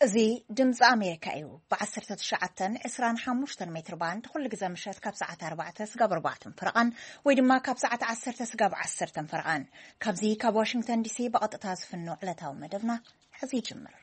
እዚ ድምፂ ኣሜሪካ እዩ። ብ19 25 ሜትር ባንድ ኩሉ ግዜ ምሸት ካብ ሰዓት ኣርባዕተ ስጋብ ኣርባዕተን ፈረቓን ወይ ድማ ካብ ሰዓት ዓሰርተ ስጋብ ዓሰርተን ፈረቓን። ካብዚ ካብ ዋሽንግተን ዲሲ ብቐጥታ ዝፍኖ ዕለታዊ መደብና ሕዚ ይጅምር።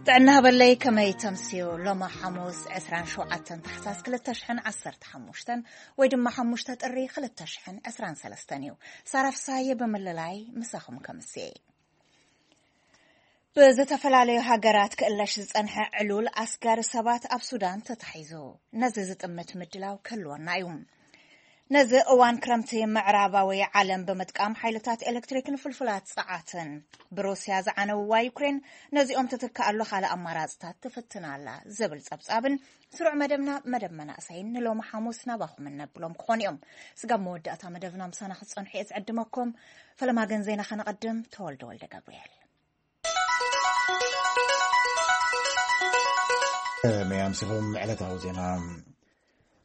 ጥዕና ሃበለይ፣ ከመይ ተምስዩ? ሎሚ ሓሙስ ዕስራን ሸውዓተን ታሕሳስ ክልተ ሽሕን ዓሰርተ ሓሙሽተን ወይ ድማ ሓሙሽተ ጥሪ ክልተ ሽሕን ዕስራን ሰለስተን እዩ። ሳራ ፍሳየ ብምልላይ ምሳኹም ከምስየ። ብዝተፈላለዩ ሃገራት ክእለሽ ዝጸንሐ ዕሉል ኣስጋሪ ሰባት ኣብ ሱዳን ተታሒዙ። ነዚ ዝጥምት ምድላው ክህልወና እዩ። ነዚ እዋን ክረምቲ ምዕራባዊ ዓለም ብምጥቃም ሓይልታት ኤሌክትሪክን ፍልፍላት ጸዓትን ብሩስያ ዝዓነውዋ ዩክሬን ነዚኦም ትትክኣሉ ካልእ ኣማራጽታት ትፍትን ኣላ ዝብል ጸብጻብን ስሩዕ መደብና መደብ መናእሰይን ንሎሚ ሓሙስ ናባኹም እነብሎም ክኾኑ እዮም። ስጋብ መወዳእታ መደብና ምሳና ክትጸንሑ እየ ዝዕድመኩም። ፈለማ ግን ዜና ከነቐድም። ተወልደ ወልደ ገብርኤል። ከመይ ኣምሲኹም? ዕለታዊ ዜና።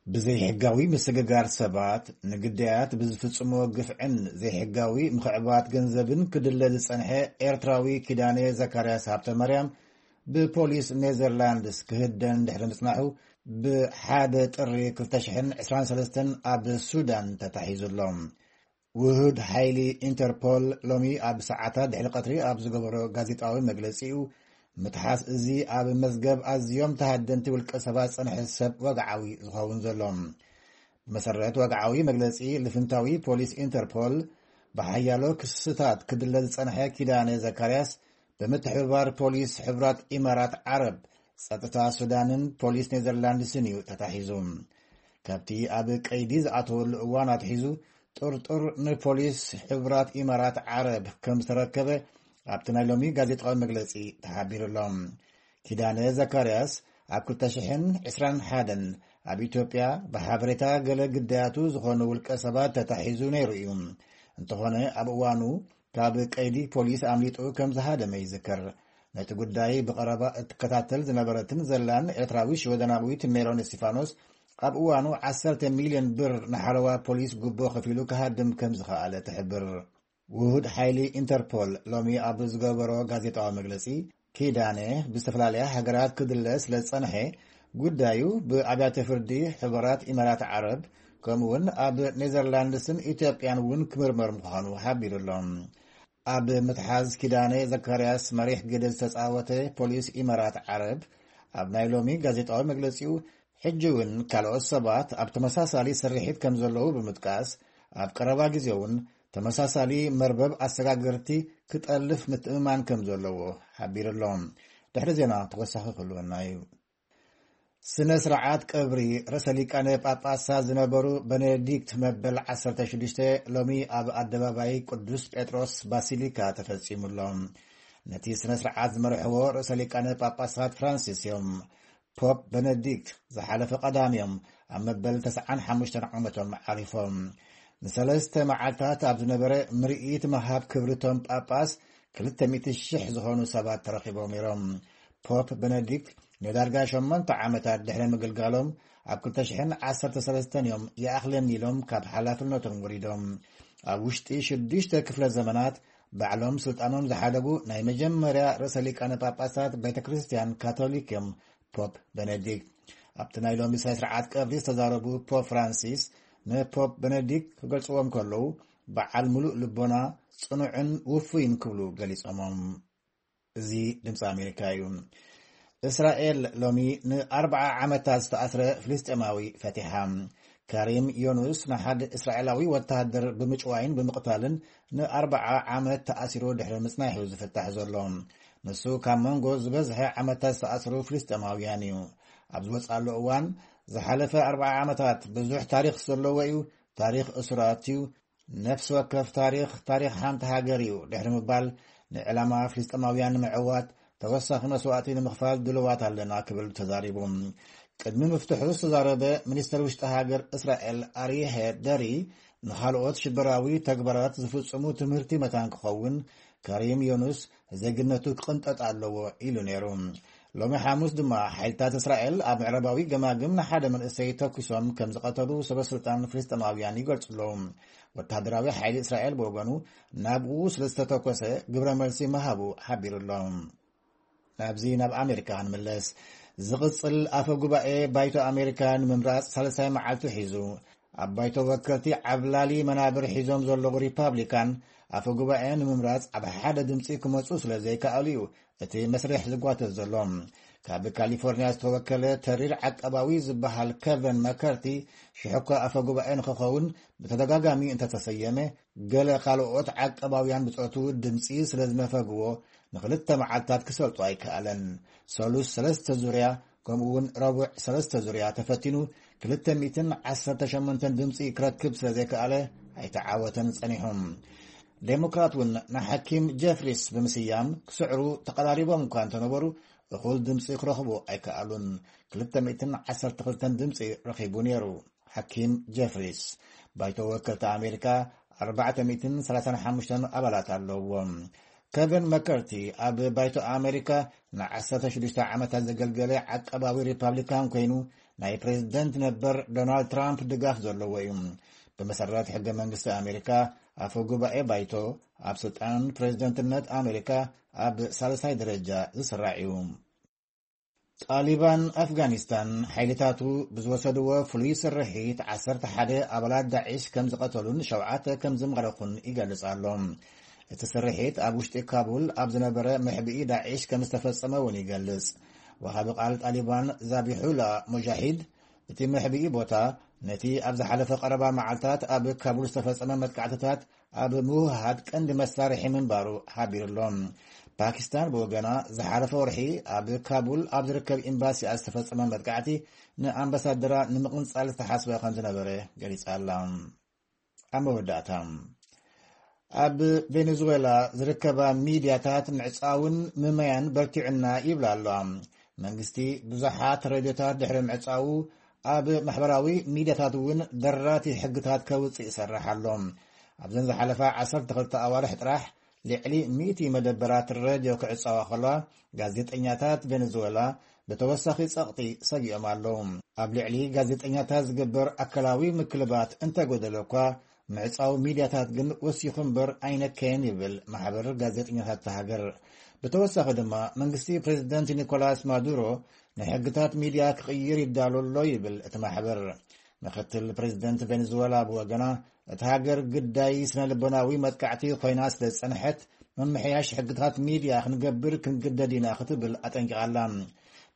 ብዘይሕጋዊ ምስግጋር ሰባት፣ ንግዳያት ብዝፍጽሞ ግፍዕን ዘይሕጋዊ ምኽዕባት ገንዘብን ክድለ ዝጸንሐ ኤርትራዊ ኪዳነ ዘካርያስ ሃብተ ማርያም ብፖሊስ ኔዘርላንድስ ክህደን ድሕሪ ምጽናሑ፣ ብሓደ ጥሪ ክልተ ሽሕን ዕስራን ሰለስተን ኣብ ሱዳን ተታሒዙ ኣሎ። ውሁድ ሓይሊ ኢንተርፖል ሎሚ ኣብ ሰዓታት ድሕሪ ቀትሪ ኣብ ዝገበሮ ጋዜጣዊ መግለጺኡ፣ ምትሓዝ እዚ ኣብ መዝገብ ኣዝዮም ተሃደንቲ ውልቀ ሰባት ዝጸንሐ ሰብ ወግዓዊ ዝኸውን ዘሎ። ብመሰረት ወግዓዊ መግለጺ ልፍንታዊ ፖሊስ ኢንተርፖል፣ ብሓያሎ ክስታት ክድለ ዝጸንሐ ኪዳነ ዘካርያስ ብምትሕብባር ፖሊስ ሕቡራት ኢማራት ዓረብ፣ ጸጥታ ሱዳንን ፖሊስ ኔዘርላንድስን እዩ ተታሒዙ። ካብቲ ኣብ ቀይዲ ዝኣተወሉ እዋን ኣትሒዙ ጥርጡር ንፖሊስ ሕቡራት ኢማራት ዓረብ ከም ዝተረከበ ኣብቲ ናይ ሎሚ ጋዜጣዊ መግለጺ ተሓቢሩ ኣሎ። ኪዳነ ዘካርያስ ኣብ ክልተ ሽሕን ዕስራን ሓደን ኣብ ኢትዮጵያ ብሓበሬታ ገለ ግዳያቱ ዝኾኑ ውልቀ ሰባት ተታሒዙ ነይሩ እዩ። እንተኾነ ኣብ እዋኑ ካብ ቀይዲ ፖሊስ ኣምሊጡ ከም ዝሃደመ ይዝከር። ነቲ ጉዳይ ብቐረባ እትከታተል ዝነበረትን ዘላን ኤርትራዊ ሽወደናዊት ሜሮን እስቲፋኖስ፣ ኣብ እዋኑ ዓሰርተ ሚልዮን ብር ንሓለዋ ፖሊስ ጉቦ ከፊሉ ክሃድም ከም ዝኸኣለ ትሕብር። ውሁድ ሓይሊ ኢንተርፖል ሎሚ ኣብ ዝገበሮ ጋዜጣዊ መግለጺ፣ ኪዳነ ብዝተፈላለያ ሃገራት ክድለ ስለ ዝጸንሐ፣ ጉዳዩ ብኣብያተ ፍርዲ ሕቡራት ኢማራት ዓረብ፣ ከምኡውን ኣብ ኔዘርላንድስን ኢትዮጵያን እውን ክምርመር ምዃኑ ሓቢሩ ኣሎ። ኣብ ምትሓዝ ኪዳነ ዘካርያስ መሪሕ ግደ ዝተጻወተ ፖሊስ ኢማራት ዓረብ፣ ኣብ ናይ ሎሚ ጋዜጣዊ መግለጺኡ፣ ሕጂ እውን ካልኦት ሰባት ኣብ ተመሳሳሊ ስርሒት ከም ዘለዉ ብምጥቃስ፣ ኣብ ቀረባ ግዜ እውን ተመሳሳሊ መርበብ ኣሰጋገርቲ ክጠልፍ ምትእምማን ከም ዘለዎ ሓቢሩ ኣሎ። ድሕሪ ዜና ተወሳኺ ክህልወና እዩ። ስነ ስርዓት ቀብሪ ርእሰ ሊቃነ ጳጳሳት ዝነበሩ በኔዲክት መበል ዓሰርተ ሽዱሽተ ሎሚ ኣብ ኣደባባይ ቅዱስ ጴጥሮስ ባሲሊካ ተፈጺሙ ኣሎ። ነቲ ስነ ስርዓት ዝመርሕዎ ርእሰ ሊቃነ ጳጳሳት ፍራንሲስ እዮም። ፖፕ በነዲክት ዝሓለፈ ቀዳም እዮም ኣብ መበል ተስዓን ሓሙሽተን ዓመቶም ዓሪፎም። ንሰለስተ መዓልታት ኣብ ዝነበረ ምርኢት ምሃብ ክብሪ እቶም ጳጳስ ክልተ ሚእቲ ሽሕ ዝኾኑ ሰባት ተረኺቦም ነይሮም። ፖፕ በነዲክት ንዳርጋ ሸሞንተ ዓመታት ድሕሪ ምግልጋሎም ኣብ ክልተ ሽሕን ዓሰርተ ሰለስተን እዮም ይኣኽለኒ ኢሎም ካብ ሓላፍነቶም ወሪዶም። ኣብ ውሽጢ ሽዱሽተ ክፍለ ዘመናት ባዕሎም ስልጣኖም ዝሓደጉ ናይ መጀመርያ ርእሰ ሊቃነ ጳጳሳት ቤተ ክርስቲያን ካቶሊክ እዮም ፖፕ በነዲክት። ኣብቲ ናይ ሎሚ ስነ ስርዓት ቀብሪ ዝተዛረቡ ፖፕ ፍራንሲስ፣ ንፖፕ በነዲክት ክገልጽዎም ከለዉ፣ በዓል ምሉእ ልቦና፣ ጽኑዕን ውፉይን ክብሉ ገሊጾሞም። እዚ ድምፂ ኣሜሪካ እዩ። እስራኤል ሎሚ ንኣርብዓ ዓመታት ዝተኣስረ ፍልስጤማዊ ፈቲሓ። ካሪም ዮኑስ ንሓደ እስራኤላዊ ወተሃደር ብምጭዋይን ብምቕታልን ንኣርብዓ ዓመት ተኣሲሩ ድሕሪ ምጽናሕ እዩ ዝፍታሕ ዘሎ። ንሱ ካብ መንጎ ዝበዝሐ ዓመታት ዝተኣስሩ ፍልስጤማውያን እዩ። ኣብ ዝወጽኣሉ እዋን፣ ዝሓለፈ ኣርብዓ ዓመታት ብዙሕ ታሪኽ ዘለዎ እዩ፣ ታሪኽ እሱራት እዩ፣ ነፍሲ ወከፍ ታሪኽ፣ ታሪኽ ሓንቲ ሃገር እዩ ድሕሪ ምባል፣ ንዕላማ ፍልስጤማውያን ንምዕዋት ተወሳኺ መስዋእቲ ንምኽፋል ድልዋት ኣለና ክብል ተዛሪቡ። ቅድሚ ምፍትሑ ዝተዛረበ ሚኒስተር ውሽጢ ሃገር እስራኤል ኣርየ ደሪ፣ ንኻልኦት ሽበራዊ ተግባራት ዝፍጽሙ ትምህርቲ መታን ክኸውን፣ ካሪም ዮኑስ ዜግነቱ ክቕንጠጥ ኣለዎ ኢሉ ነይሩ። ሎሚ ሓሙስ ድማ ሓይልታት እስራኤል ኣብ ምዕራባዊ ገማግም ንሓደ መንእሰይ ተኩሶም ከም ዝቐተሉ ሰበስልጣን ፍልስጤማውያን ይገልጹ ኣለዉ። ወተሃደራዊ ሓይሊ እስራኤል ብወገኑ ናብኡ ስለ ዝተተኮሰ ግብረ መልሲ ምሃቡ ሓቢሩ ኣሎ። ናብዚ ናብ ኣሜሪካ ክንምለስ። ዝቕጽል ኣፈ ጉባኤ ባይቶ ኣሜሪካ ንምምራጽ ሳልሳይ መዓልቱ ሒዙ፣ ኣብ ባይቶ ወከልቲ ዓብላሊ መናብር ሒዞም ዘለዉ ሪፓብሊካን ኣፈ ጉባኤ ንምምራጽ ኣብ ሓደ ድምጺ ክመጹ ስለ ዘይከኣሉ እዩ እቲ መስርሕ ዝጓተት ዘሎ። ካብ ካሊፎርኒያ ዝተወከለ ተሪር ዓቀባዊ ዝበሃል ከቨን መከርቲ ሽሕኳ ኣፈ ጉባኤ ንክኸውን ብተደጋጋሚ እንተተሰየመ፣ ገለ ካልኦት ዓቀባውያን ብጾቱ ድምጺ ስለ ዝነፈግዎ ንክልተ መዓልታት ክሰልጦ ኣይከኣለን። ሰሉስ ሰለስተ ዙርያ ከምኡ እውን ረቡዕ ሰለስተ ዙርያ ተፈቲኑ ክልተ ሚእትን ዓሰርተ ሸሞንተን ድምፂ ክረክብ ስለ ዘይከኣለ ኣይተዓወተን ጸኒሑ። ዴሞክራት እውን ንሓኪም ጀፍሪስ ብምስያም ክስዕሩ ተቐራሪቦም እኳ እንተነበሩ እኹል ድምፂ ክረኽቡ ኣይከኣሉን። ክልተ ሚእትን ዓሰርተ ክልተን ድምፂ ረኺቡ ነይሩ። ሓኪም ጀፍሪስ ባይቶ ወከልቲ ኣሜሪካ ኣርባዕተ ሚእትን ሰላሳን ሓሙሽተን ኣባላት ኣለውዎ። ከቨን መከርቲ ኣብ ባይቶ ኣሜሪካ ንዓሰርተ ሽዱሽተ ዓመታት ዘገልገለ ዓቀባዊ ሪፓብሊካን ኮይኑ ናይ ፕሬዝደንት ነበር ዶናልድ ትራምፕ ድጋፍ ዘለዎ እዩ። ብመሰረት ሕገ መንግስቲ ኣሜሪካ ኣፈ ጉባኤ ባይቶ ኣብ ስልጣን ፕሬዝደንትነት ኣሜሪካ ኣብ ሳልሳይ ደረጃ ዝስራዕ እዩ። ጣሊባን ኣፍጋኒስታን ሓይልታቱ ብዝወሰድዎ ፍሉይ ስርሒት ዓሰርተ ሓደ ኣባላት ዳዒሽ ከም ዝቐተሉን ሸውዓተ ከም ዝማረኹን ይገልጽ ኣሎ። እቲ ስርሒት ኣብ ውሽጢ ካቡል ኣብ ዝነበረ መሕብኢ ዳዒሽ ከም ዝተፈጸመ እውን ይገልጽ። ወሃቢ ቃል ጣሊባን ዛቢሑላ ሙጃሂድ እቲ መሕብኢ ቦታ ነቲ ኣብ ዝሓለፈ ቀረባ መዓልታት ኣብ ካቡል ዝተፈጸመ መጥቃዕትታት ኣብ ምውህሃድ ቀንዲ መሳርሒ ምንባሩ ሓቢሩ ኣሎ። ፓኪስታን ብወገና ዝሓለፈ ወርሒ ኣብ ካቡል ኣብ ዝርከብ ኤምባሲኣ ዝተፈጸመ መጥቃዕቲ ንኣምባሳደራ ንምቕንጻል ዝተሓስበ ከም ዝነበረ ገሊጻ ኣላ። ኣብ መወዳእታ ኣብ ቬኔዙዌላ ዝርከባ ሚድያታት ምዕጻውን ምመያን በርቲዑና ይብላ ኣለዋ። መንግስቲ ብዙሓት ሬድዮታት ድሕሪ ምዕጻዉ ኣብ ማሕበራዊ ሚድያታት እውን ደራቲ ሕግታት ከውጽእ ይሰርሕ ኣሎ። ኣብዘን ዝሓለፋ ዓሰርተ ክልተ ኣዋርሕ ጥራሕ ልዕሊ ሚእቲ መደበራት ሬድዮ ክዕጸዋ ከለዋ ጋዜጠኛታት ቬኔዙዌላ ብተወሳኺ ጸቕጢ ሰጊኦም ኣለዉ። ኣብ ልዕሊ ጋዜጠኛታት ዝግበር ኣካላዊ ምክልባት እንተጎደለ እኳ ምዕጻው ሚድያታት ግን ወሲኹ እምበር ኣይነከየን ይብል ማሕበር ጋዜጠኛታት እታ ሃገር። ብተወሳኺ ድማ መንግስቲ ፕሬዝደንት ኒኮላስ ማዱሮ ንሕግታት ሚድያ ክቕይር ይዳሎ ኣሎ ይብል እቲ ማሕበር። ምክትል ፕሬዝደንት ቬኔዙዌላ ብወገና እታ ሃገር ግዳይ ስነ ልቦናዊ መጥቃዕቲ ኮይና ስለ ዝጸንሐት ምምሕያሽ ሕግታት ሚድያ ክንገብር ክንግደድ ኢና ክትብል ኣጠንቂቓ ኣላ።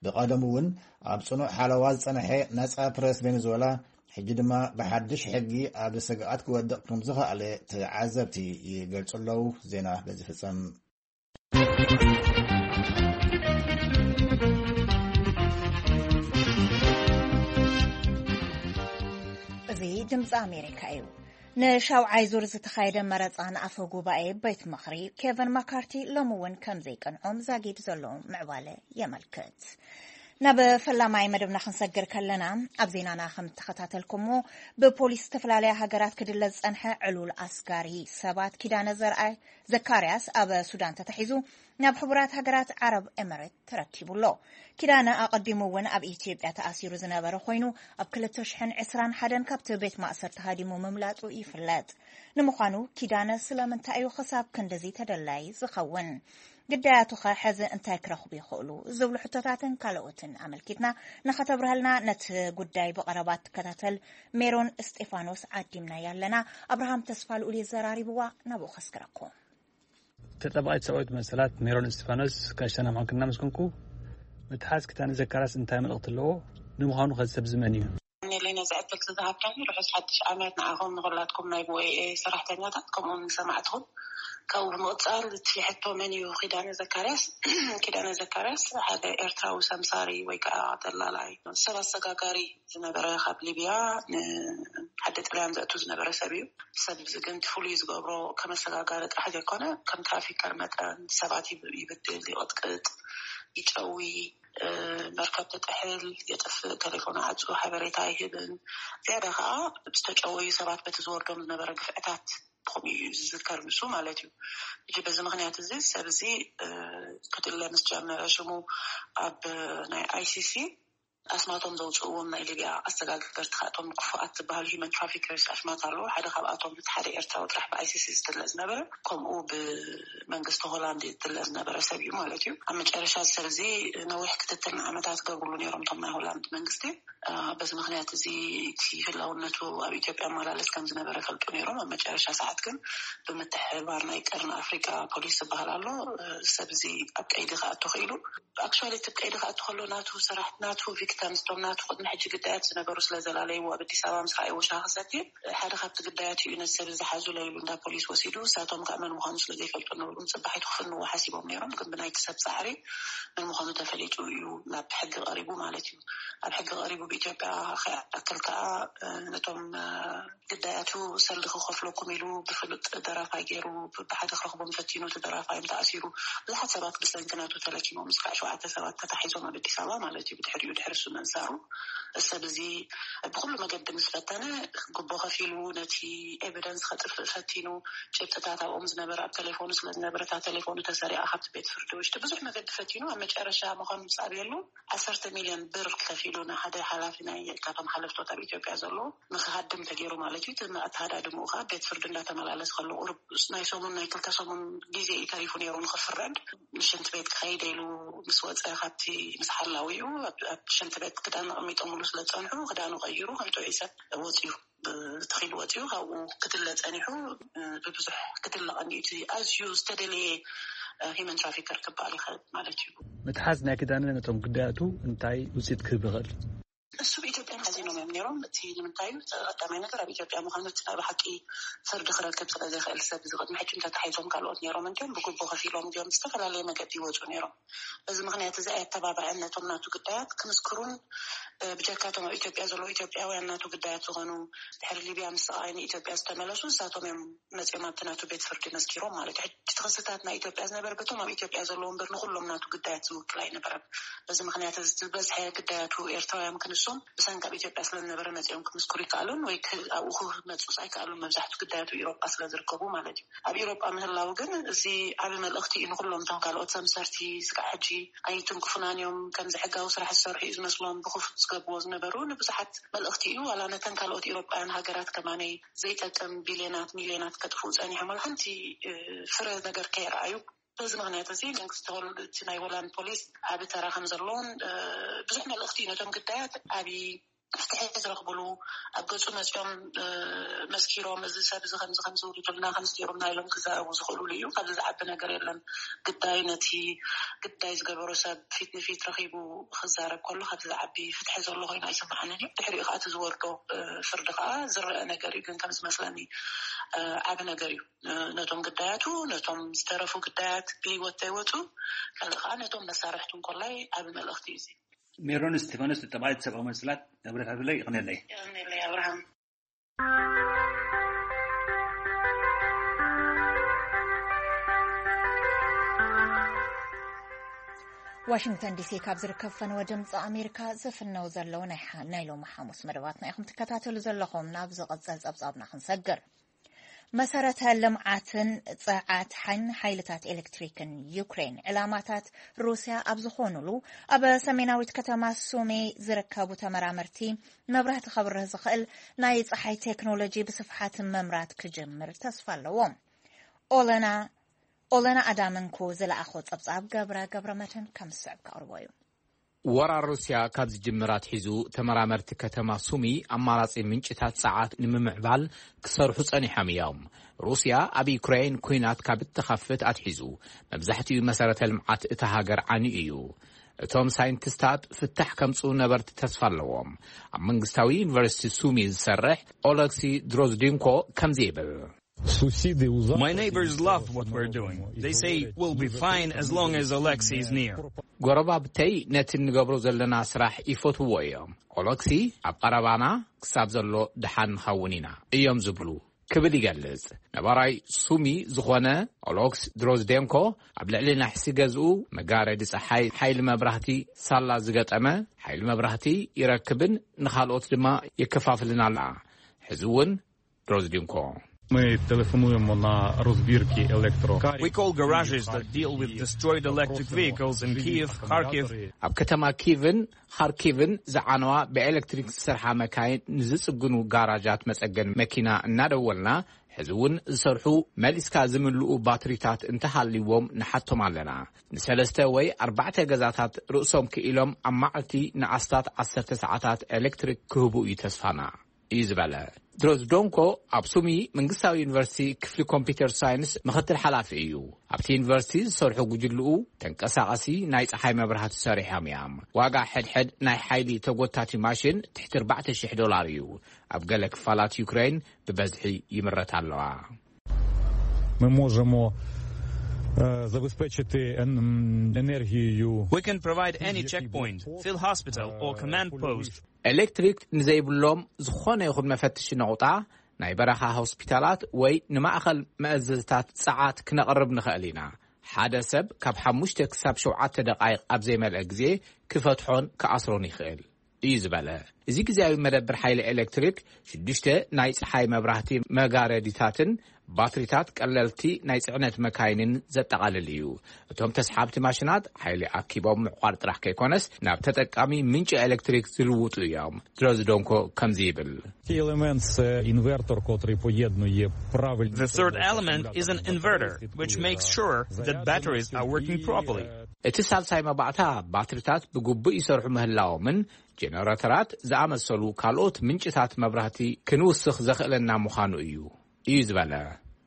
ብቐደሙ እውን ኣብ ጽኑዕ ሓለዋ ዝጸንሐ ነጻ ፕረስ ቬኔዙዌላ ሕጂ ድማ ብሓድሽ ሕጊ ኣብ ስግኣት ክወድቕ ከም ዝኸኣለ ተዓዘብቲ ይገልጹ ኣለዉ። ዜና በዚ ፍጸም። እዚ ድምፂ ኣሜሪካ እዩ። ንሻውዓይ ዙር ዝተኻየደ መረፃ ንኣፈ ጉባኤ ቤት ምኽሪ ኬቨን ማካርቲ ሎሚ እውን ከም ዘይቀንዖም ዛጊድ ዘሎ ምዕባለ የመልክት። ናብ ፈላማይ መደብና ክንሰግር ከለና፣ ኣብ ዜናና ከም እተኸታተልኩሞ፣ ብፖሊስ ዝተፈላለያ ሃገራት ክድለ ዝጸንሐ ዕሉል ኣስጋሪ ሰባት ኪዳነ ዘርኣይ ዘካርያስ ኣብ ሱዳን ተታሒዙ ናብ ሕቡራት ሃገራት ዓረብ ኤምሬት ተረኪቡ ኣሎ። ኪዳነ ኣቐዲሙ እውን ኣብ ኢትዮጵያ ተኣሲሩ ዝነበረ ኮይኑ፣ ኣብ ክልተ ሽሕን ዕስራን ሓደን ካብቲ ቤት ማእሰርቲ ሃዲሙ ምምላጡ ይፍለጥ። ንምዃኑ ኪዳነ ስለምንታይ እዩ ክሳብ ክንድዚ ተደላይ ዝኸውን? ግዳያቱኸ ሕዚ እንታይ ክረኽቡ ይኽእሉ? ዝብሉ ሕቶታትን ካልኦትን ኣመልኪትና ንኸተብርሃልና ነቲ ጉዳይ ብቐረባ ትከታተል ሜሮን እስጢፋኖስ ዓዲምናያ ኣለና። ኣብርሃም ተስፋ ልኡል እዩ ዘራሪብዋ፣ ናብኡ ከስግረኩም። ተጠባቒት ሰብኣዊት መሰላት ሜሮን እስጢፋኖስ፣ ጋሻና ምዃንክን እናመስገንኩ፣ ምትሓዝ ኪዳነ ዘካርያስ እንታይ መልእኽቲ ኣለዎ? ንምዃኑ ኸዚ ሰብ እዚ መን እዩ? ኔሌ ነዚ ዕድል ዝሃብካኒ ርሑስ ሓድሽ ዓመት ንዓኹም ንኹላትኩም ናይ ቪኦኤ ሰራሕተኛታት ከምኡ እውን ንሰማዕትኹም። ካብኡ ብምቕጻል እቲ ሕቶ መን እዩ ኪዳነ ዘካርያስ? ኪዳነ ዘካርያስ ሓደ ኤርትራዊ ሰምሳሪ ወይ ከዓ ደላላይ፣ ሰብ ኣሰጋጋሪ ዝነበረ፣ ካብ ሊብያ ንዓዲ ጥልያን ዘእቱ ዝነበረ ሰብ እዩ። ሰብ እዚ ግን እቲ ፍሉይ ዝገብሮ ከም ኣሰጋጋሪ ጥራሕ ዘይኮነ ከም ትራፊከር መጠን ሰባት ይብ- ይብድል፣ ይቕጥቅጥ፣ ይጨዊ፣ መርከብ ትጥሕል፣ የጥፍእ፣ ቴሌፎን ዓጹ፣ ሓበሬታ ኣይህብን። ዝያዳ ከኣ ዝተጨወዩ ሰባት በቲ ዝወርዶም ዝነበረ ግፍዕታት ከምኡ እዩ ዝዝከር ንሱ ማለት እዩ። ሕጂ በዚ ምክንያት እዚ ሰብ እዚ ክድለ ምስ ጀመረ ሽሙ ኣብ ናይ ኣይሲሲ ኣስማቶም ዘውፅእዎም ናይ ሊብያ ኣሰጋገርቲ ካብቶም ክፉኣት ዝበሃሉ ሂመን ትራፊከርስ ኣሽማት ኣለዉ። ሓደ ካብኣቶም እቲ ሓደ ኤርትራዊ ጥራሕ ብኣይሲሲ ዝድለ ዝነበረ፣ ከምኡ ብመንግስቲ ሆላንድ ዝድለ ዝነበረ ሰብ እዩ ማለት እዩ። ኣብ መጨረሻ እዚ ሰብ እዚ ነዊሕ ክትትል ንዓመታት ገብርሉ ነይሮም እቶም ናይ ሆላንድ መንግስቲ። በዚ ምክንያት እዚ እቲ ህላውነቱ ኣብ ኢትዮጵያ ኣመላለስ ከም ዝነበረ ፈልጡ ነይሮም። ኣብ መጨረሻ ሰዓት ግን ብምትሕብባር ናይ ቀርኒ ኣፍሪቃ ፖሊስ ዝበሃል ኣሎ፣ ሰብ እዚ ኣብ ቀይዲ ክኣቱ ክኢሉ። ኣክቹዋሊ እቲ ቀይዲ ክኣቱ ከሎ ናቱ ስራሕ ናቱ ቪክተምስ ቶም ናቱ ቅድሚ ሕጂ ግዳያት ዝነበሩ ስለ ዘላለይዎ ኣብ ኣዲስ ኣበባ ምስ ረኣይዎ ሻሂ ክሰቲ ሓደ ካብቲ ግዳያት እዩ ነቲ ሰብ ዝሓዙ ለይሉ እንዳ ፖሊስ ወሲዱ። እሳቶም ከዓ መን ምዃኑ ስለ ዘይፈልጡ ነበሩ ንፅባሒቱ ክፍንዎ ሓሲቦም ነይሮም። ግን ብናይቲ ሰብ ፃዕሪ መን ምዃኑ ተፈሊጡ እዩ ናብ ሕጊ ቀሪቡ ማለት እዩ። ኣብ ሕጊ ቀሪቡ ብኢትዮጵያ ክኣክል ከዓ ነቶም ግዳያቱ ሰልዲ ክኸፍለኩም ኢሉ ብፍሉጥ ደራፋይ ገይሩ ብሓደ ክረኽቦም ፈቲኑ እቲ ደራፋይ ተኣሲሩ። ብዙሓት ሰባት ብሰንኪ ናቱ ተለኪሞም እስካዕ ሸውዓተ ሰባት ተታሒዞም ኣብ ኣዲስ ኣበባ ማለት እዩ። ብድሕሪኡ ድሕሪ እሱ ምእሳሩ ሰብ እዚ ብኩሉ መገዲ ምስ ፈተነ ግቦ ከፊሉ ነቲ ኤቪደንስ ከጥፍእ ፈቲኑ። ጭብጥታት ኣብኦም ዝነበረ ኣብ ቴሌፎኑ ስለ ዝነበረ እታ ቴሌፎኑ ተሰሪቓ ካብቲ ቤት ፍርዲ ውሽጢ ብዙሕ መገዲ ፈቲኑ ኣብ መጨረሻ ምዃኑ ምስ ኣብየሉ ዓሰርተ ሚልዮን ብር ከፊሉ ንሓደ ሓላፊ ናይ ካብቶም ሓለፍቶት ኣብ ኢትዮጵያ ዘለዉ ንክሃድም ተገይሩ ማለት እዩ። እቲ ኣተሃዳድምኡ ከዓ ቤት ፍርዲ እንዳተመላለስ ከሎ ቁሩብ ናይ ሰሙን ናይ ክልተ ሰሙን ግዜ እዩ ተሪፉ ነይሩ ንክፍረድ። ሽንቲ ቤት ክኸይደ ኢሉ ምስ ወፀ ካብቲ ምስ ሓላዊኡ ኣብ ሽንቲ ቤት ክዳን ኣቐሚጦምሉ ስለ ዝፀንሑ ክዳኑ ቀይሩ ከም ጥዑይ ሰብ ወፂኡ። ተኺሉ ወፂኡ ካብኡ ክትለ ፀኒሑ ብብዙሕ ክትለ ቀኒኡ እቲ ኣዝዩ ዝተደለየ ሂመን ትራፊከር ክበሃል ይኽእል ማለት እዩ። ምትሓዝ ናይ ክዳነ ነቶም ግዳያቱ እንታይ ውፅኢት ክህብ ይኽእል? እሱ ብኢትዮጵያ ሓዚኖም እዮም ነይሮም። እቲ ንምንታይ እዩ ቀዳማይ ነገር ኣብ ኢትዮጵያ ምዃኑ እቲ ናይ ብሓቂ ፍርዲ ክረክብ ስለ ዘይኽእል ሰብ እዚ ቅድሚ ሕጂ እንተተሓይዞም ካልኦት ነይሮም እንዲዮም ብግቦ ከፊሎም እንዲዮም ዝተፈላለየ መገዲ ይወፁ ነይሮም። በዚ ምክንያት እዚ ኣየተባብዐን ነቶም ናቱ ግዳያት ክምስክሩን ብጀካቶም ኣብ ኢትዮጵያ ዘለዉ ኢትዮጵያውያን ናቱ ግዳያት ዝኾኑ ድሕሪ ሊብያ ምስ ስቓይ ንኢትዮጵያ ዝተመለሱ ንሳቶም እዮም መፂኦም ኣብቲ ናቱ ቤት ፍርዲ መስኪሮም ማለት እዩ። ሕጂ እቲ ክስታት ናይ ኢትዮጵያ ዝነበረ በቶም ኣብ ኢትዮጵያ ዘለዉ እምበር ንኩሎም ናቱ ግዳያት ዝውክል ኣይነበረን። በዚ ምክንያት እዚ ዝበዝሐ ግዳያቱ ኤርትራውያን ክንሶም ብሰንኪ ኣብ ኢትዮጵያ ስለ ዝነበረ መፂኦም ክምስክሩ ይከኣሉን ወይ ኣብኡ ክመፁስ ኣይከኣሉን። መብዛሕቱ ግዳያቱ ኢሮጳ ስለ ዝርከቡ ማለት እዩ። ኣብ ኢሮጳ ምህላው ግን እዚ ዓቢ መልእኽቲ እዩ ንኩሎም እቶም ካልኦት ሰምሰርቲ ስጋዕ ሕጂ ኣይትንክፉናን እዮም። ከምዚ ሕጋዊ ስራሕ ዝሰርሑ እዩ ዝመስሎም ብክፉት ዝገብዎ ዝነበሩ ንብዙሓት መልእኽቲ እዩ። ዋላ ነተን ካልኦት ኢሮጳውያን ሃገራት ከማነይ ዘይጠቅም ቢልዮናት ሚልዮናት ከጥፍኡ ጸኒሖም ዋላ ሓንቲ ፍረ ነገር ከይረኣዩ። በዚ ምክንያት እዚ መንግስቲ እቲ ናይ ሆላንድ ፖሊስ ዓቢ ተራ ከም ዘለዎን ብዙሕ መልእኽቲ እዩ ነቶም ግዳያት ዓቢ ፍትሒ ዝረኽብሉ ኣብ ገጹ መጺኦም መስኪሮም እዚ ሰብ እዚ ከምዚ ከምዚ ውሪዱልና ከምዚ ገይሩና ኢሎም ክዛረቡ ዝኽእሉሉ እዩ። ካብዚ ዝዓቢ ነገር የለን። ግዳይ ነቲ ግዳይ ዝገበሮ ሰብ ፊት ንፊት ረኺቡ ክዛረብ ከሎ ካብዚ ዝዓቢ ፍትሒ ዘሎ ኮይኑ ኣይስምዓንን እዩ። ድሕሪኡ ከዓ እቲ ዝወርዶ ፍርዲ ከዓ ዝረአ ነገር እዩ። ግን ከም ዝመስለኒ ዓቢ ነገር እዩ። ነቶም ግዳያቱ ነቶም ዝተረፉ ግዳያት ብህይወት ተይወፁ ካልእ ከዓ ነቶም መሳርሕቱ እንኮላይ ዓቢ መልእኽቲ እዩ። ሜሮን እስጢፋኖስ ተጠባይት ሰብኣዊ መስላት ንብረታትለይ ይቕነለይ። ይቕነለይ ኣብርሃም። ዋሽንግተን ዲሲ ካብ ዝርከብ ፈነወ ድምፂ ኣሜሪካ ዝፍነው ዘለዉ ናይ ሓ- ናይ ሎሚ ሓሙስ መደባትና ኢኹም ትከታተሉ ዘለኹም። ናብ ዝቕፅል ፀብፃብና ክንሰግር። መሰረተ ልምዓትን ፀዓት ሓይን ሓይልታት ኤሌክትሪክን ዩክሬን ዕላማታት ሩስያ ኣብ ዝኾኑሉ ኣብ ሰሜናዊት ከተማ ሱሜ ዝርከቡ ተመራመርቲ መብራህቲ ከብርህ ዝኽእል ናይ ፀሓይ ቴክኖሎጂ ብስፍሓት መምራት ክጅምር ተስፋ ኣለዎም። ኦለና ኦለና ኣዳምንኩ ዝለኣኾ ፀብፃብ ገብረ ገብረ መድህን ከም ዝስዕብ ከቕርቦ እዩ። ወራር ሩስያ ካብ ዝጅምር ኣትሒዙ ተመራመርቲ ከተማ ሱሚ ኣማራጺ ምንጭታት ጸዓት ንምምዕባል ክሰርሑ ጸኒሖም እዮም። ሩስያ ኣብ ዩክሬን ኲናት ካብ እትኸፍት ኣትሒዙ መብዛሕትኡ መሰረተ ልምዓት እታ ሃገር ዓንዩ እዩ። እቶም ሳይንቲስታት ፍታሕ ከምጽኡ ነበርቲ ተስፋ ኣለዎም። ኣብ መንግስታዊ ዩኒቨርሲቲ ሱሚ ዝሰርሕ ኦለክሲ ድሮዝዲንኮ ከምዚ ይብል። My neighbors love what we're doing. They say we'll be fine as long as Alexei is near. ጎረባብተይ ነቲ እንገብሮ ዘለና ስራሕ ይፈትውዎ እዮም። ኦለክሲ ኣብ ቀረባና ክሳብ ዘሎ ደሓን ንኸውን ኢና እዮም ዝብሉ ክብል ይገልጽ። ነባራይ ሱሚ ዝኾነ ኦሎክስ ድሮዝዴንኮ ኣብ ልዕሊ ናሕሲ ገዝኡ መጋረዲ ጸሓይ ሓይሊ መብራህቲ ሳላ ዝገጠመ ሓይሊ መብራህቲ ይረክብን ንኻልኦት ድማ የከፋፍልን ኣላ። ሕዚ እውን ድሮዝዲንኮ Ми телефонуємо на розбірки електрокарів. We call garages that deal with destroyed electric vehicles in Kyiv, Kharkiv. ኣብ ከተማ ኪቭን ኻርኪቭን ዝዓነዋ ብኤሌክትሪክ ዝሰርሓ መካይን ንዝጽግኑ ጋራጃት መጸገን መኪና እናደወልና፣ ሕዚ እውን ዝሰርሑ መሊስካ ዝምልኡ ባትሪታት እንተሃልይዎም ንሓቶም ኣለና። ንሰለስተ ወይ ኣርባዕተ ገዛታት ርእሶም ክኢሎም ኣብ መዓልቲ ንኣስታት ዓሰርተ ሰዓታት ኤሌክትሪክ ክህቡ እዩ ተስፋና፣ እዩ ዝበለ። ድሮዝዶንኮ ኣብ ሱሚ መንግስታዊ ዩኒቨርሲቲ ክፍሊ ኮምፒውተር ሳይንስ ምኽትል ሓላፊ እዩ። ኣብቲ ዩኒቨርሲቲ ዝሰርሑ ጉጅልኡ ተንቀሳቐሲ ናይ ጸሓይ መብራህቲ ሰሪሖም እዮም። ዋጋ ሕድሕድ ናይ ሓይሊ ተጎታቲ ማሽን ትሕቲ ኣርባዕተ ሽሕ ዶላር እዩ። ኣብ ገለ ክፋላት ዩክሬን ብበዝሒ ይምረት ኣለዋ። Ми можемо е, забезпечити ен- енергією. We can provide any checkpoint, field hospital, or command post. ኤሌክትሪክ ንዘይብሎም ዝኾነ ይኹን መፈትሺ ነቑጣ፣ ናይ በረኻ ሆስፒታላት ወይ ንማእኸል መእዘዝታት ጸዓት ክነቕርብ ንኽእል ኢና። ሓደ ሰብ ካብ ሓሙሽተ ክሳብ ሸውዓተ ደቓይቕ ኣብ ዘይመልአ ግዜ ክፈትሖን ክኣስሮን ይኽእል፣ እዩ ዝበለ። እዚ ግዜያዊ መደብር ሓይሊ ኤሌክትሪክ ሽዱሽተ ናይ ጸሓይ መብራህቲ መጋረዲታትን ባትሪታት ቀለልቲ ናይ ጽዕነት መካይንን ዘጠቓልል እዩ። እቶም ተስሓብቲ ማሽናት ሓይሊ ኣኪቦም ምዕቋር ጥራሕ ከይኮነስ ናብ ተጠቃሚ ምንጪ ኤሌክትሪክ ዝልውጡ እዮም። ድሮዝዶንኮ ከምዚ ይብል። Цей елемент це інвертор, котрий поєднує правильні The third element is an inverter, which makes sure that batteries are working properly. እቲ ሳልሳይ መባእታ ባትሪታት ብግቡእ ይሰርሑ ምህላዎምን ጀነሬተራት ዝኣመሰሉ ካልኦት ምንጭታት መብራህቲ ክንውስኽ ዘኽእለና ምዃኑ እዩ፣ እዩ ዝበለ።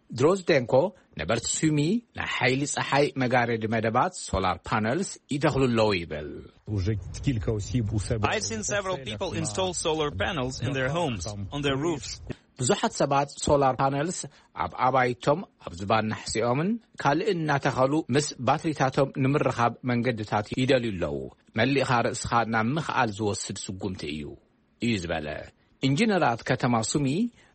ድሮዝዴንኮ ነበርቲ ሱሚ ናይ ሓይሊ ጸሓይ መጋረዲ መደባት ሶላር ፓነልስ ይተኽሉ ኣለዉ ይብል። Уже кілька осіб у себе I've seen several people install solar panels in their homes, on their roofs. ብዙሓት ሰባት ሶላር ፓነልስ ኣብ ኣባይቶም ኣብ ዝባን ናሕሲኦምን ካልእን እናተኸሉ ምስ ባትሪታቶም ንምርኻብ መንገድታት ይደልዩ ኣለዉ። መሊእኻ ርእስኻ ናብ ምኽኣል ዝወስድ ስጉምቲ እዩ፣ እዩ ዝበለ። ኢንጂነራት ከተማ ሱሚ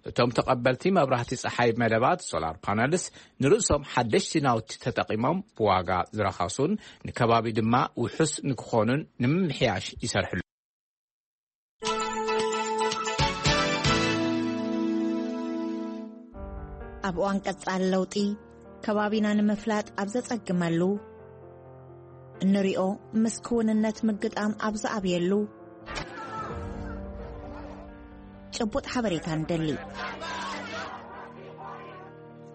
እቶም ተቐበልቲ መብራህቲ ጸሓይ መደባት ሶላር ፓነልስ ንርእሶም ሓደሽቲ ናውቲ ተጠቒሞም ብዋጋ ዝረኸሱን ንከባቢ ድማ ውሑስ ንክኾኑን ንምምሕያሽ ይሰርሕሉ። ኣብ እዋን ቀጻሊ ለውጢ ከባቢና ንምፍላጥ ኣብ ዘጸግመሉ፣ እንሪኦ ምስ ክውንነት ምግጣም ኣብ ዝኣብየሉ፣ ጭቡጥ ሓበሬታ ንደሊ።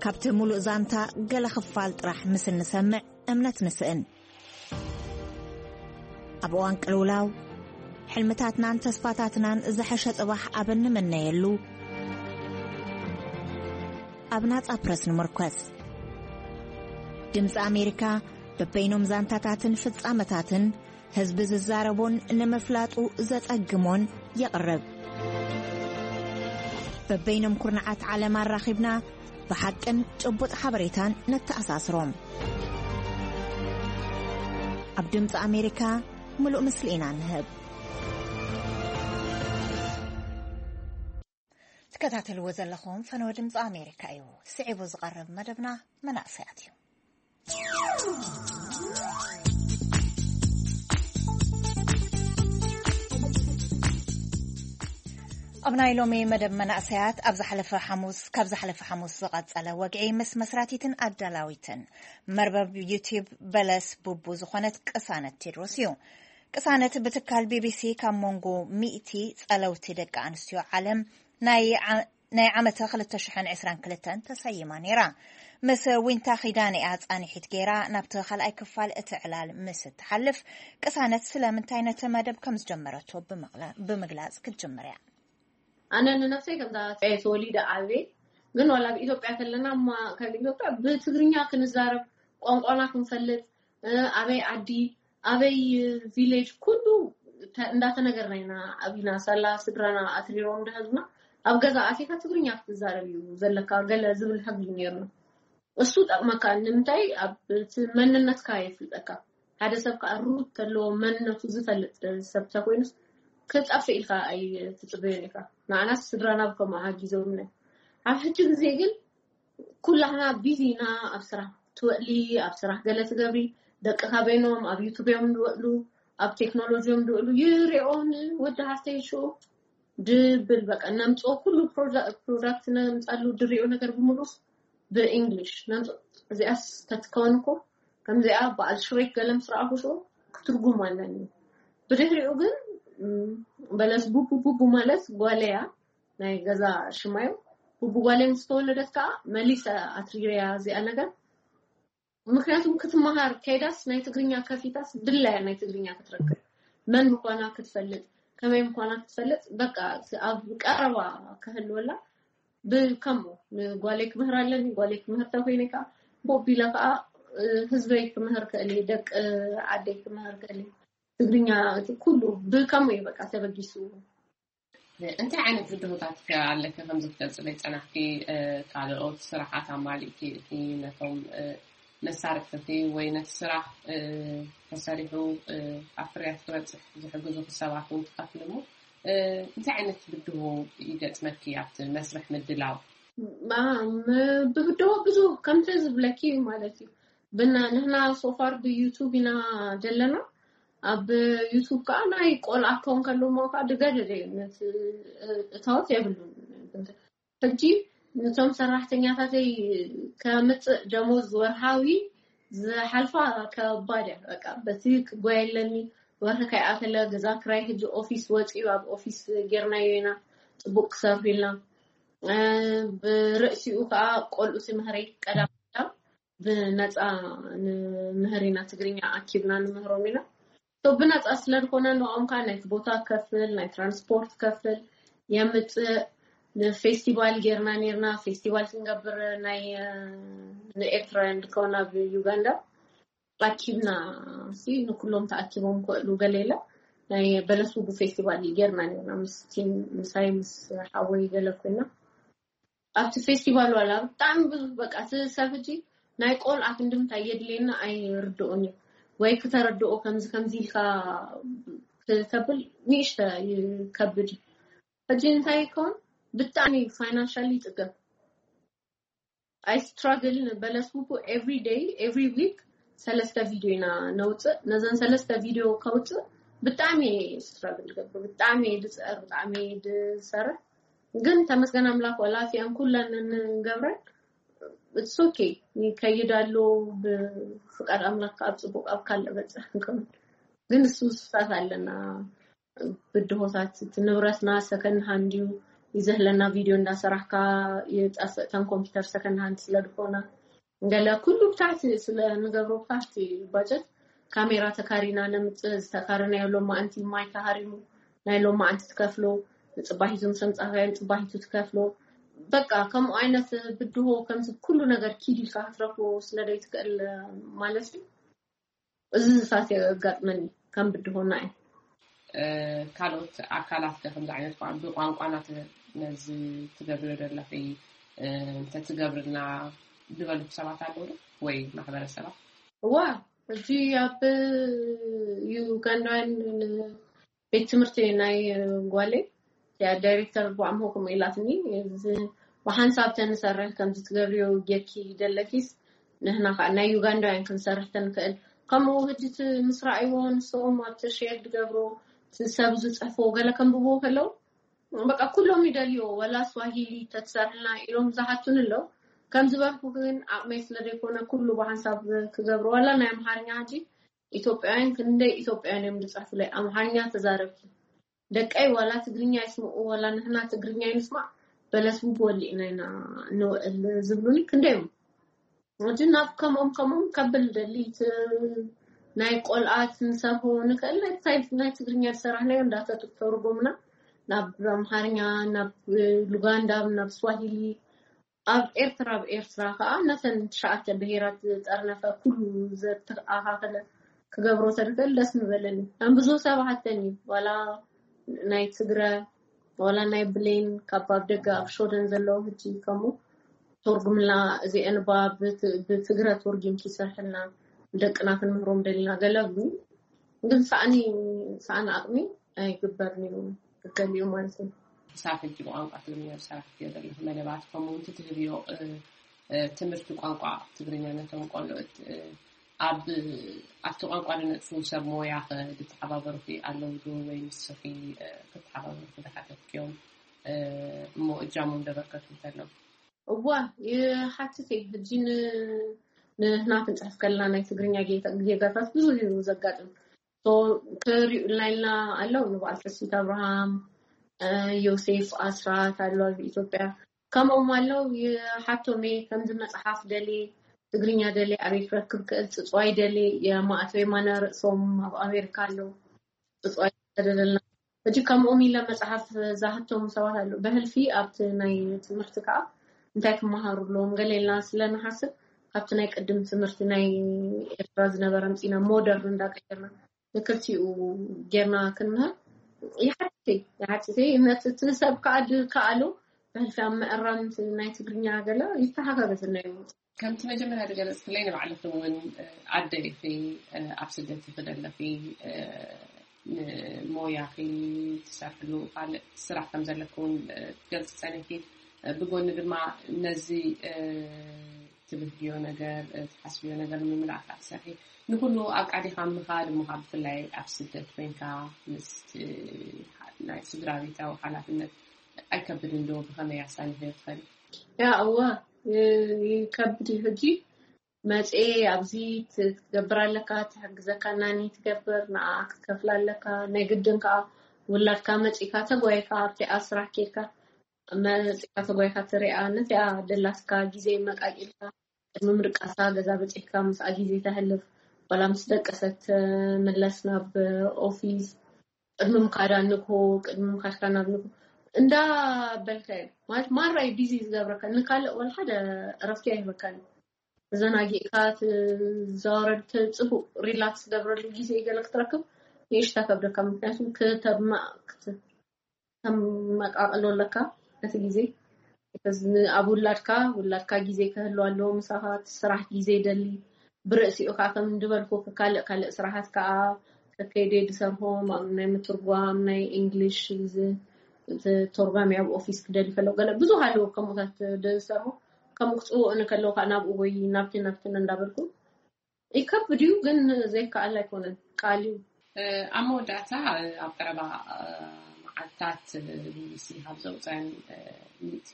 ካብቲ ሙሉእ ዛንታ ገለ ክፋል ጥራሕ ምስ እንሰምዕ እምነት ንስእን። ኣብ እዋን ቅልውላው፣ ሕልምታትናን ተስፋታትናን ዝሐሸ ጽባሕ ኣብ እንምነየሉ፣ ኣብ ናጻ ፕረስ ንምርኮስ። ድምጺ ኣሜሪካ በበይኖም ዛንታታትን ፍጻመታትን ህዝቢ ዝዛረቦን ንምፍላጡ ዘጸግሞን የቕርብ። በበይኖም ኩርናዓት ዓለም ኣራኺብና ብሓቅን ጭቡጥ ሓበሬታን ነተኣሳስሮም። ኣብ ድምፂ ኣሜሪካ ምሉእ ምስሊ ኢና ንህብ። ትከታተልዎ ዘለኹም ፈነወ ድምፂ ኣሜሪካ እዩ። ስዒቡ ዝቐርብ መደብና መናእሰያት እዩ። ኣብ ናይ ሎሚ መደብ መናእሰያት ኣብ ዝሓለፈ ሓሙስ፣ ካብ ዝሓለፈ ሓሙስ ዝቐጸለ ወግዒ ምስ መስራቲትን ኣዳላዊትን መርበብ ዩቲዩብ በለስ ቡቡ ዝኾነት ቅሳነት ቴድሮስ እዩ። ቅሳነት ብትካል ቢቢሲ ካብ መንጎ ሚእቲ ጸለውቲ ደቂ ኣንስትዮ ዓለም ናይ ዓ-፣ ናይ ዓመተ ክልተ ሽሕን ዕስራን ክልተን ተሰይማ ነይራ። ምስ ዊንታ ኺዳነ እያ ጻንሒት ገይራ ናብቲ ካልኣይ ክፋል እቲ ዕላል ምስ እትሓልፍ፣ ቅሳነት ስለምንታይ ነቲ መደብ ከም ዝጀመረቶ ብምቕላ-፣ ብምግላጽ ክትጅምር እያ። ኣነ ንነፍሰይ ከምዛ ተወሊደ ዓብየ፣ ግን ዋላ ኣብ ኢትዮጵያ ከለና እማ ካብ ኢትዮጵያ ብትግርኛ ክንዛረብ፣ ቋንቋና ክንፈልጥ፣ እ፣ ኣበይ ዓዲ፣ ኣበይ ቪሌጅ፣ ኩሉ ተ-፣ እንዳተነገርና ኢና ዓቢና። ሳላ ስድራና ኣትሪሮም ደሃዝና ኣብ ገዛ ኣቲካ ትግርኛ ክትዛረብ እዩ ዘለካ፣ ገለ ዝብል ሕጊ ነይርና። እሱ ጠቕመካ። ንምንታይ? ኣብ እቲ መንነትካ የፍልጠካ። ሓደ ሰብ ከዓ ሩት ተለዎ መንነቱ ዝፈልጥ ሰብ ተኮይኑስ ክጠፍእ ኢልካ ኣይትጽበዮን ኢኻ። ንዓናስ ስድራና ብከምኡ ሓጊዞምና። ኣብ ሕጂ ግዜ ግን ኩላህና ቢዚ ኢና። ኣብ ስራሕ ትወእሊ፣ ኣብ ስራሕ ገለ ትገብሪ፣ ደቅኻ በይኖም ኣብ ዩቱብ እዮም ዝወእሉ፣ ኣብ ቴክኖሎጂ እዮም ዝወእሉ። ይሪኦን ወዲ ሃፍተይ ሽኡ ድብል በቃ ነምፅኦ ኩሉ product ነምፃሉ ድሪኦ ነገር ብምሉስ ብእንግሊሽ ነምፅኦ። እዚኣስ ተትከውን እኮ ከምዚኣ በዓል ሽሬክ ገለ ምስ ረኣኹ ሽዑ ክትርጉም ኣለኒ። ብድሕሪኡ ግን በለስ ቡቡ ቡቡ ማለት ጓለያ ናይ ገዛ ሽማዩ ቡቡ ጓለይ ምስ ተወለደት ከዓ መሊሰ ኣትሪረያ እዚኣ ነገር። ምክንያቱም ክትመሃር ከይዳስ ናይ ትግርኛ ከፊታስ ድላያ ናይ ትግርኛ ክትረክብ መን ምኳና ክትፈልጥ ከመይ ምኳና ክትፈልጥ በቃ ኣብ ቀረባ ክህልወላ ብከምኡ ንጓለይ ክምህር ኣለኒ። ጓለይ ክምህር ተኮይነ ከዓ ቦቢለ ከዓ ህዝበይ ክምህር ክእል ደቂ ዓደይ ክምህር ክእል ትግርኛ ኩሉ ብከምኡ እዩ በቃ ተበጊሱ። እንታይ ዓይነት ብድሆታት ኣለከ ከምዚ ክትገልፅለይ ፀናሕኪ? ካልኦት ስራሓት ኣማሊእኪ ነቶም መሳርሕትኺ ወይ ነቲ ስራሕ ተሰሪሑ ኣብ ፍርያት ክበፅሕ ዝሕግዙ ሰባት እውን ትኸፍልሞ እንታይ ዓይነት ብድሆ ይገጥመኪ ኣብቲ መስርሕ ምድላው? ብብድሆ ብዙ ከምተ ዝብለኪ ማለት እዩ ብና ንህና ሶፋር ብዩቱብ ኢና ዘለና ኣብ ዩቱብ ከዓ ናይ ቆልዓ ክኸውን ከለዎ ከዓ ድገደደ እዩ እታወት የብሉን። ሕጂ ነቶም ሰራሕተኛታተይ ከምፅእ ደሞዝ ወርሃዊ ዝሓልፋ ከባድ እያ። በቃ በቲ ክጎየ ኣለኒ ወርሒ ከይኣተለ ገዛ ክራይ ሕጂ ኦፊስ ወፂኡ ኣብ ኦፊስ ጌርናዮ ኢና ፅቡቅ ክሰርሑ ኢልና ብርእሲኡ ከዓ ቆልዑ ትምህሪ ቀዳም ብነፃ ንምህር ኢና ትግርኛ ኣኪብና ንምህሮም ኢና ብነፃ ስለዝኮነ ንኦም ከዓ ናይ ቦታ ከፍል ናይ ትራንስፖርት ከፍል የምፅእ ንፌስቲቫል ጌርና ኔርና ፌስቲቫል ክንገብር ናይ ንኤርትራውያን ዝከውን ኣብ ዩጋንዳ ኣኪብና ንኩሎም ተኣኪቦም ክእሉ ገለ የለ ናይ በለስ ውቡ ፌስቲቫል ጌርና ኔርና ምስቲን ምሳይ ምስ ሓወይ ገለ ኮይና ኣብቲ ፌስቲቫል ዋላ ብጣዕሚ ብዙ በቃ እቲ ሰብ ሕጂ ናይ ቆልዓ ክንዲ ምንታይ የድልየና ኣይርድኦን እዩ ወይ ክተረድኦ ከምዚ ከምዚ ኢልካ ክተብል ንእሽተ ይከብድ እዩ ሕጂ እንታይ ይከውን ብጣዕሚ ፋይናንሻል ይፅገብ I struggle በለስ ውቡ every day every week ሰለስተ ቪድዮ ኢና ነውፅእ ነዘን ሰለስተ ቪድዮ ከውፅእ ብጣዕሚ struggle ገብር ብጣዕሚ ድፅዕር ብጣዕሚ ድሰርሕ ግን ተመስገን ኣምላክ ወላ እቲኣን ኩለን ንገብረን it's okay ይከይድ ኣሎ ብፍቃድ ኣምላክ ኣብ ፅቡቅ ኣብ ካልእ በፅሕ ንከውን ግን እሱ ስፍታት ኣለና ብድሆታት እቲ ንብረትና ሰከንድ ሃንድ እዩ ይዘህለና ቪድዮ እንዳሰራሕካ ይጠፍእ እተን ኮምፒውተር ሰከንድ ሃንድ ስለዝኮና ገለ ኩሉ ብታሕቲ ስለ ንገብሮ ብታሕቲ ባጀት ካሜራ ተካሪና ነምፅእ ዝተካረናዮ ሎማዓንቲ ማይ ተሃሪሙ ናይ ሎማዓንቲ ትከፍሎ ንፅባሒቱ ምስ ኣምፃካዮ ንፅባሒቱ ትከፍሎ በቃ ከምኡ ዓይነት ብድሆ ከምዚ ኩሉ ነገር ኪድ ኢልካ ክትረክቦ ስለደይትክእል ማለት እዩ እዚ ዝሳት የጋጥመኒ ከም ብድሆና እዩ ካልኦት ኣካላት ከ ከምዚ ዓይነት ብቋንቋና ነዚ ትገብርዮ ዘለኺ እንተትገብርና ዝበሉ ሰባት ኣለዉ ወይ ማሕበረሰባት እዋ እዚ ኣብ ዩጋንዳውያን ቤት ትምህርቲ ናይ ጓለይ እያ ዳይሬክተር ብዓምሆ ከምኡ ኢላትኒ ብሓንሳብ ተንሰርሕ ከምዚ ትገብርዮ ጌርኪ ደለኪስ ንህና ከዓ ናይ ዩጋንዳውያን ክንሰርሕ ተንክእል ከምኡ ህጂ ምስ ረኣይዎ ንስኦም ኣብቲ ሼር ዝገብሮ ሰብ ዝፅሕፎ ገለ ከንብቦ ከለው በቃ ኩሎም ይደልዮ ወላ ስዋሂሊ ተትሰርሕልና ኢሎም ዝሓቱን ኣለው ከም ዝበልኩ ግን ዓቕመይ ስለ ዘይኮነ ኩሉ ብሓንሳብ ክገብሮ ዋላ ናይ ኣምሓርኛ ሕጂ ኢትዮጵያውያን ክንደይ ኢትዮጵያውያን እዮም ዝፅሕፉለይ ኣምሓርኛ ተዛረብኪ ደቀይ ዋላ ትግርኛ ይስምዑ ዋላ ንሕና ትግርኛ ይንስማዕ በለስ ብወሊእና ኢና ንውዕል ዝብሉኒ ክንደይ እዮም ሕጂ ናብ ከምኦም ከምኦም ከብል ደሊ ናይ ቆልኣት ንሰርሆ ንክእል ናይ ትግርኛ ዝሰራሕናዮ እንዳተተርጎምና ናብ ኣምሓርኛ ናብ ሉጋንዳ ናብ ስዋሂሊ ኣብ ኤርትራ ኣብ ኤርትራ ከዓ ነተን ትሽዓተ ብሄራት ዝጠርነፈ ኩሉ ዘተኣኻኸለ ክገብሮ ተድክእል ደስ ምበለኒ ኣንብዞ ሰብ ሃተኒ ዋላ ናይ ትግረ ዋላ ናይ ብሌን ካብ ኣብ ደገ ኣብ ሾደን ዘለዉ ህጂ ከምኡ ተርጉምልና እዚአን ባ ብትግረ ተርጊምኪ ይሰርሕልና ደቅና ክንምህሮም ደሊና ገለ ግን ሳእኒ ሳእኒ ኣቅሚ ኣይግበርን እዩ ገሊኡ ማለት እዩ። ክሳብ ሕጂ ብቋንቋ ትግርኛ ዝሰራሕክዮ ዘለኺ መደባት ከምኡ እውን ትህብዮ ትምህርቲ ቋንቋ ትግርኛ ነቶም ቆልዑት ኣብ ኣብቲ ቋንቋ ንነጥፉ ሰብ ሞያ ክትተሓባበሩኺ ኣለዉ ዶ ወይ ንስኺ ክትተሓባበሩኺ ዝሓተትክዮም እሞ እጃሞም ደበርከቱ እንተሎ? እዋ፣ ይሓትት እየ። ሕጂ ንህና ክንፅሕፍ ከለና ናይ ትግርኛ ጌጋታት ብዙ እዩ ዘጋጥም። ክሪኡልና ኢልና ኣለዉ፣ ንበዓል ተስፊት ኣብርሃም፣ ዮሴፍ ኣስራት ኣሎ ኣብ ኢትዮጵያ። ከምኦም ኣለዉ፣ ይሓቶም እየ። ከምዚ መፅሓፍ ደልየ፣ ትግርኛ ደልየ ኣበይ ክረክብ ክእል፣ ፅፅዋይ ደልየ፣ የማእተው የማነ ርእሶም ኣብ ኣሜሪካ ኣለዉ። ብፁዓይ ተደለልና ሕጂ ከምኦም ኢለ መፅሓፍ ዝሃቶም ሰባት ኣለዉ። ብሕልፊ ኣብቲ ናይ ትምህርቲ ከዓ እንታይ ክመሃሩ ኣለዎም ገለ ኢልና ስለ ንሓስብ ካብቲ ናይ ቅድም ትምህርቲ ናይ ኤርትራ ዝነበረ ኣምፂና ሞደርን እንዳቀየርና ንክልቲኡ ጌርና ክንምህር ይሓትት እየ። ይሓትት እየ። ነቲ እቲ ሰብ ከዓ ድከኣሉ ብሕልፊ ኣብ ምእራም ናይ ትግርኛ ገለ ይተሓጋገዝና እዩ። ከምቲ መጀመርያ ዝገለፅክለይ ንባዕልኺ እውን ኣደ ኢኺ፣ ኣብ ስደት ኢኺ ዘለኺ፣ ንሞያኺ ትሰርሕሉ ካልእ ስራሕ ከም ዘለኪ እውን ትገልፂ ፀኒሕኪ፣ ብጎኒ ድማ ነዚ ትብህግዮ ነገር ትሓስብዮ ነገር ንምምላእ ከዓ ትሰርሒ። ንኩሉ ኣቃዲኻ ምኻድ እሞ ከዓ ብፍላይ ኣብ ስደት ኮይንካ ምስ ናይ ስድራ ቤታዊ ሓላፍነት ኣይከብድን ዶ? ብኸመይ ኣሳኒኽዮ ትኸዲ? ያ እወ ይከብድ እዩ። ሕጂ መፅኤ ኣብዚ ትገብር ኣለካ፣ ትሕግዘካ ናኒ ትገብር፣ ንዓ ክትከፍል ኣለካ። ናይ ግድን ከዓ ውላድካ መፂካ ተጓይካ ኣብቲ ኣብ ስራሕ ኬድካ መፂካ ተጓይካ ትሪኣ ነቲኣ ደላትካ ግዜ መቃቂልካ ቅድሚ ምድቃሳ ገዛ በፂሕካ ምስኣ ግዜ ተሕልፍ፣ ዋላ ምስ ደቀሰት ትምለስ ናብ ኦፊስ፣ ቅድሚ ምካዳ ንግሆ፣ ቅድሚ ምካድካ ናብ ንግሆ እንዳበልካ እዩ ማለት ማራ እዩ ቢዚ ዝገብረካ። ንካልእ ወላ ሓደ እረፍቲ ኣይህበካን እዩ። ተዘናጊዕካ ትዘዋረድ ጽቡቅ ሪላክስ ትገብረሉ ግዜ ገለ ክትረክብ ንእሽታ ከብደካ። ምክንያቱ ከተመቃቅሎ ኣለካ ነቲ ግዜ። ኣብ ውላድካ ውላድካ ግዜ ክህልዋ ኣለዎ ምሳኻ። እቲ ስራሕ ግዜ ይደሊ። ብርእሲኡ ከዓ ከም ድበልኩ ካልእ ካልእ ስራሓት ከዓ ከከይደ ድሰርሖም ኣብ ናይ ምትርጓም ናይ እንግሊሽ ተርጓሚ ኣብ ኦፊስ ክደሊ ከለዉ ገለ ብዙሕ ኣለዉ ከምኡታት ድሰርሑ። ከምኡ ክፅውዑኒ ከለዉ ከዓ ናብኡ ወይ ናብቲ ናብትን እንዳበልኩ ይከብድ እዩ ግን ዘይከኣል ኣይኮነን። ቃል እዩ። ኣብ መወዳእታ ኣብ ቀረባ መዓልታት ቢቢሲ ካብ ዘውፀን ሚእቲ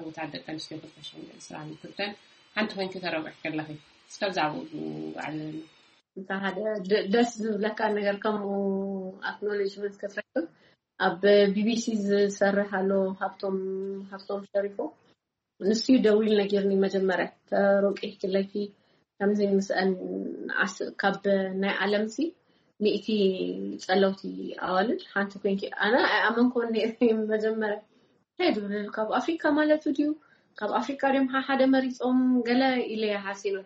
ዕውታት ደቂ ኣንስትዮ ክልተ ሽሕን ዕስራን ክልተን ሓንቲ ኮይንኪ ተረዊዕኪ ኣለኺ። እስከ ብዛዕባኡ ኣዕልለኒ። እንተ ሓደ ደስ ዝብለካ ነገር ከምኡ ኣክኖሌጅመንት ክትረክብ ኣብ ቢቢሲ ዝሰርሕ ኣሎ ሃብቶም ሃብቶም ሸሪፎ ንሱ እዩ ደዊሉ ነጊርኒ መጀመርያ ተሮቂሕኪ ኣለኪ ከምዚ ምስአን ካብ ናይ ዓለምሲ ሚእቲ ጸለውቲ ኣዋልድ ሓንቲ ኮይንኪ ኣነ ኣይኣመንኩን ነይረ መጀመርያ እንታይ ድብል ካብ ኣፍሪካ ማለቱ ድዩ ካብ ኣፍሪካ ድዮም ሓደ መሪፆም ገለ ኢለ ሓሲበ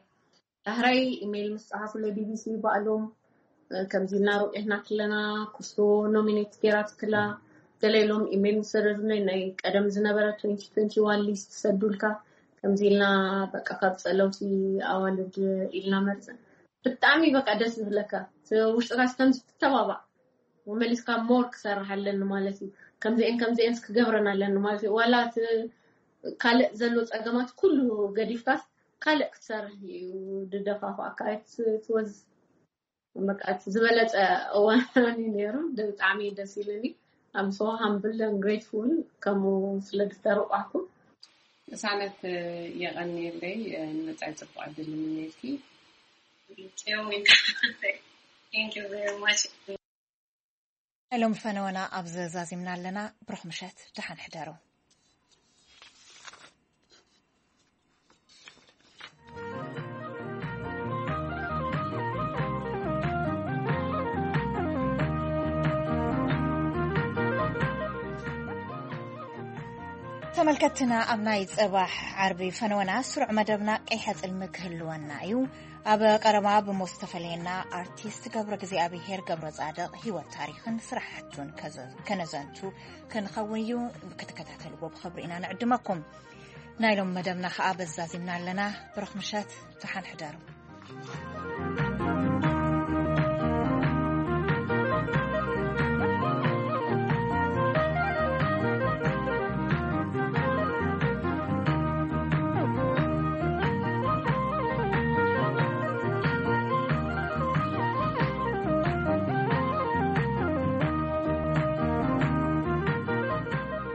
ዳሕራይ ኢሜይል ምስ ጸሓፉለይ ቢቢሲ ባዕሎም ከምዚ ኢልና ረቂሕናኪ ኣለና ኩስቶ ኖሚኔት ገይራትክላ ገለ ኢሎም ኢሜይል ምስ ሰደዱለይ ናይ ቀደም ዝነበረ twenty twenty one ሊስት ሰዱልካ ከምዚ ኢልና በቃ ካብ ጸለውቲ ኣዋልድ ኢልና መርጽ ብጣዕሚ በቃ ደስ ዝብለካ ውሽጥካ ከምዚ ትተባባዕ መመሊስካ ሞር ክሰርሕ ኣለኒ ማለት እዩ ከምዚአን ከምዚአንስ ክገብረን ኣለኒ ማለት እዩ ዋላ ካልእ ዘሎ ጸገማት ኩሉ ገዲፍካስ ካልእ ክትሰርሕ እዩ ድደፋፋእካ ትወዝ በቃ ዝበለፀ እዋን እዩ ነይሩ ብጣዕሚ ደስ ኢሉኒ I'm so humble and grateful ከምኡ ስለ ዝተረቋኩ ቅሳነት የቐንየለይ ንመፃኢ ፅቡቅ ዕድል ይምነየልኪ Thank you very much. ናይ ሎሚ ፈነወና ኣብዚ ዛዚምና ኣለና። ብሩኽ ምሸት፣ ደሓን ሕደሩ። ተመልከትና ኣብ ናይ ጽባሕ ዓርቢ ፈነወና ስሩዕ መደብና ቀይሐ ጽልሚ ክህልወና እዩ። ኣብ ቀረባ ብሞት ዝተፈለየና ኣርቲስት ገብረ እግዚኣብሔር ገብረ ጻድቕ ህይወት ታሪኽን ስራሕቱን ከነዘንቱ ክንኸውን እዩ። ክትከታተልዎ ብኽብሪ ኢና ንዕድመኩም። ናይ ሎም መደብና ከኣ በዛዚምና ኣለና። ብሩኽ ምሸት፣ ደሓን ሕደሩ።